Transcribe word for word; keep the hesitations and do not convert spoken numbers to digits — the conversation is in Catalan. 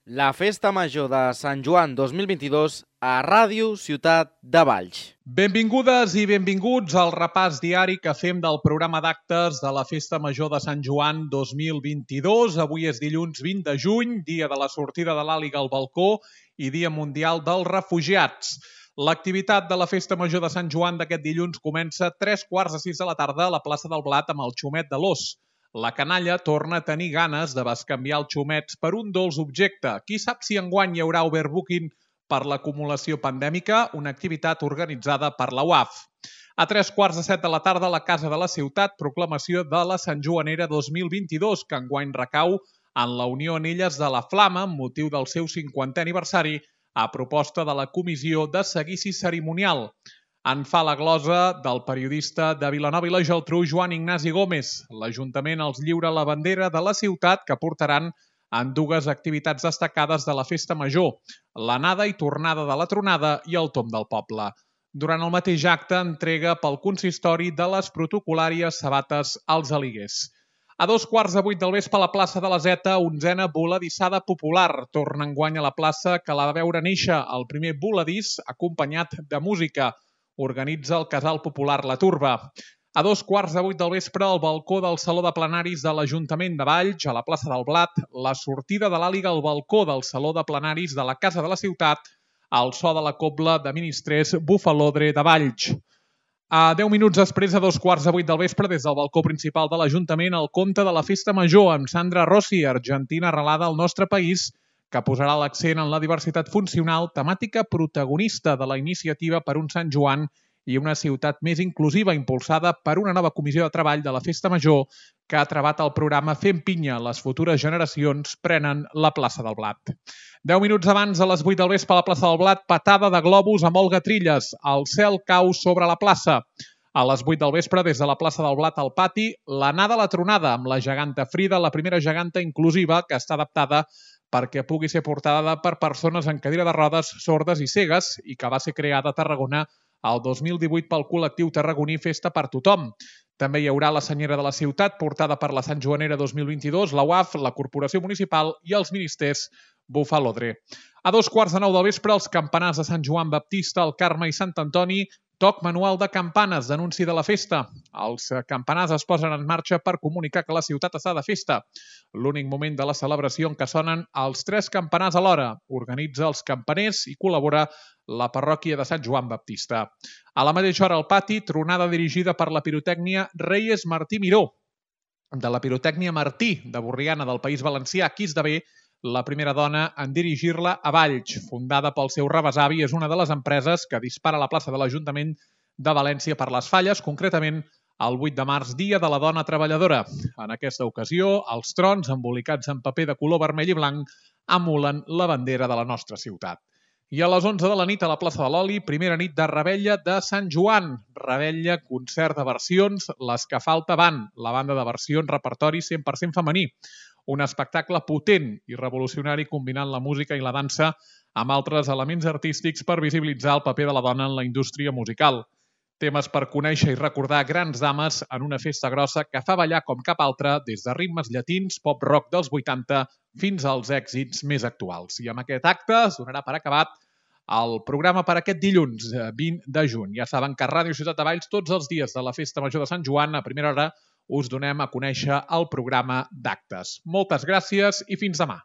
La Festa Major de Sant Joan dos mil vint-i-dos a Ràdio Ciutat de Valls. Benvingudes i benvinguts al repàs diari que fem del programa d'actes de la Festa Major de Sant Joan dos mil vint-i-dos. Avui és dilluns vint de juny, dia de la sortida de l'Àliga al balcó i Dia Mundial dels Refugiats. L'activitat de la Festa Major de Sant Joan d'aquest dilluns comença a tres quarts de sis de la tarda a la plaça del Blat amb el xumet de l'Os. La canalla torna a tenir ganes de bescanviar els xumets per un dolç objecte. Qui sap si enguany hi haurà overbooking per l'acumulació pandèmica, una activitat organitzada per la U A F. A tres quarts de set de la tarda a la Casa de la Ciutat, proclamació de la Sant Joanera dos mil vint-i-dos, que enguany recau en la Unió Anelles de la Flama amb motiu del seu cinquantè aniversari a proposta de la Comissió de Seguici Cerimonial. En fa la glosa del periodista de Vilanova i la Geltrú, Joan Ignasi Gómez. L'Ajuntament els lliura la bandera de la ciutat que portaran en dues activitats destacades de la Festa Major, l'anada i tornada de la tronada i el tomb del poble. Durant el mateix acte, entrega pel consistori de les protocolàries sabates als Aliguers. A dos quarts de vuit del vespre a la plaça de la Zeta, onzena voladissada popular. Torna enguany a la plaça que la va veure néixer el primer voladís acompanyat de música. Organitza el Casal Popular La Turba. A dos quarts de vuit del vespre, al balcó del Saló de Plenaris de l'Ajuntament de Valls, a la plaça del Blat, la sortida de l'Àliga al balcó del Saló de Plenaris de la Casa de la Ciutat, al so de la cobla de ministrers Bufalodre de Valls. A deu minuts després, a dos quarts de vuit del vespre, des del balcó principal de l'Ajuntament, el conte de la Festa Major amb Sandra Rossi, argentina arrelada al nostre país, que posarà l'accent en la diversitat funcional, temàtica protagonista de la iniciativa per un Sant Joan i una ciutat més inclusiva, impulsada per una nova comissió de treball de la Festa Major que ha trebat el programa Fem Pinya. Les futures generacions prenen la plaça del Blat. Deu minuts abans, a les vuit del vespre, a la plaça del Blat, patada de globus amb Olga Trilles. El cel cau sobre la plaça. A les vuit del vespre, des de la plaça del Blat al pati, l'anada a la tronada amb la geganta Frida, la primera geganta inclusiva que està adaptada perquè pugui ser portada per persones en cadira de rodes, sordes i cegues i que va ser creada a Tarragona el dos mil divuit pel col·lectiu tarragoní Festa per Tothom. També hi haurà la senyera de la ciutat, portada per la Sant Joanera dos mil vint-i-dos, la U A F, la Corporació Municipal i els ministers Bufalodre. A dos quarts de nou del vespre, els campanars de Sant Joan Baptista, el Carme i Sant Antoni, toc manual de campanes d'anunci de la festa. Els campanars es posen en marxa per comunicar que la ciutat està de festa. L'únic moment de la celebració en què sonen els tres campanars alhora. Organitza els campaners i col·labora la parròquia de Sant Joan Baptista. A la mateixa hora al pati, tronada dirigida per la pirotècnia Reyes Martí Miró, de la pirotècnia Martí, de Borriana del País Valencià, qui esdevé la primera dona en dirigir-la a Valls. Fundada pel seu rebesavi, és una de les empreses que dispara a la plaça de l'Ajuntament de València per les falles, concretament el vuit de març, Dia de la Dona Treballadora. En aquesta ocasió, els trons, embolicats en paper de color vermell i blanc, emulen la bandera de la nostra ciutat. I a les onze de la nit a la plaça de l'Oli, primera nit de Revetlla de Sant Joan. Revetlla, concert de versions, les que falta van, la banda de versions, repertori cent per cent femení. Un espectacle potent i revolucionari combinant la música i la dansa amb altres elements artístics per visibilitzar el paper de la dona en la indústria musical. Temes per conèixer i recordar grans dames en una festa grossa que fa ballar com cap altra des de ritmes llatins, pop-rock dels vuitanta fins als èxits més actuals. I amb aquest acte es donarà per acabat el programa per aquest dilluns, vint de juny. Ja saben que a Ràdio Ciutat de Valls tots els dies de la Festa Major de Sant Joan, a primera hora, us donem a conèixer el programa d'actes. Moltes gràcies i fins demà.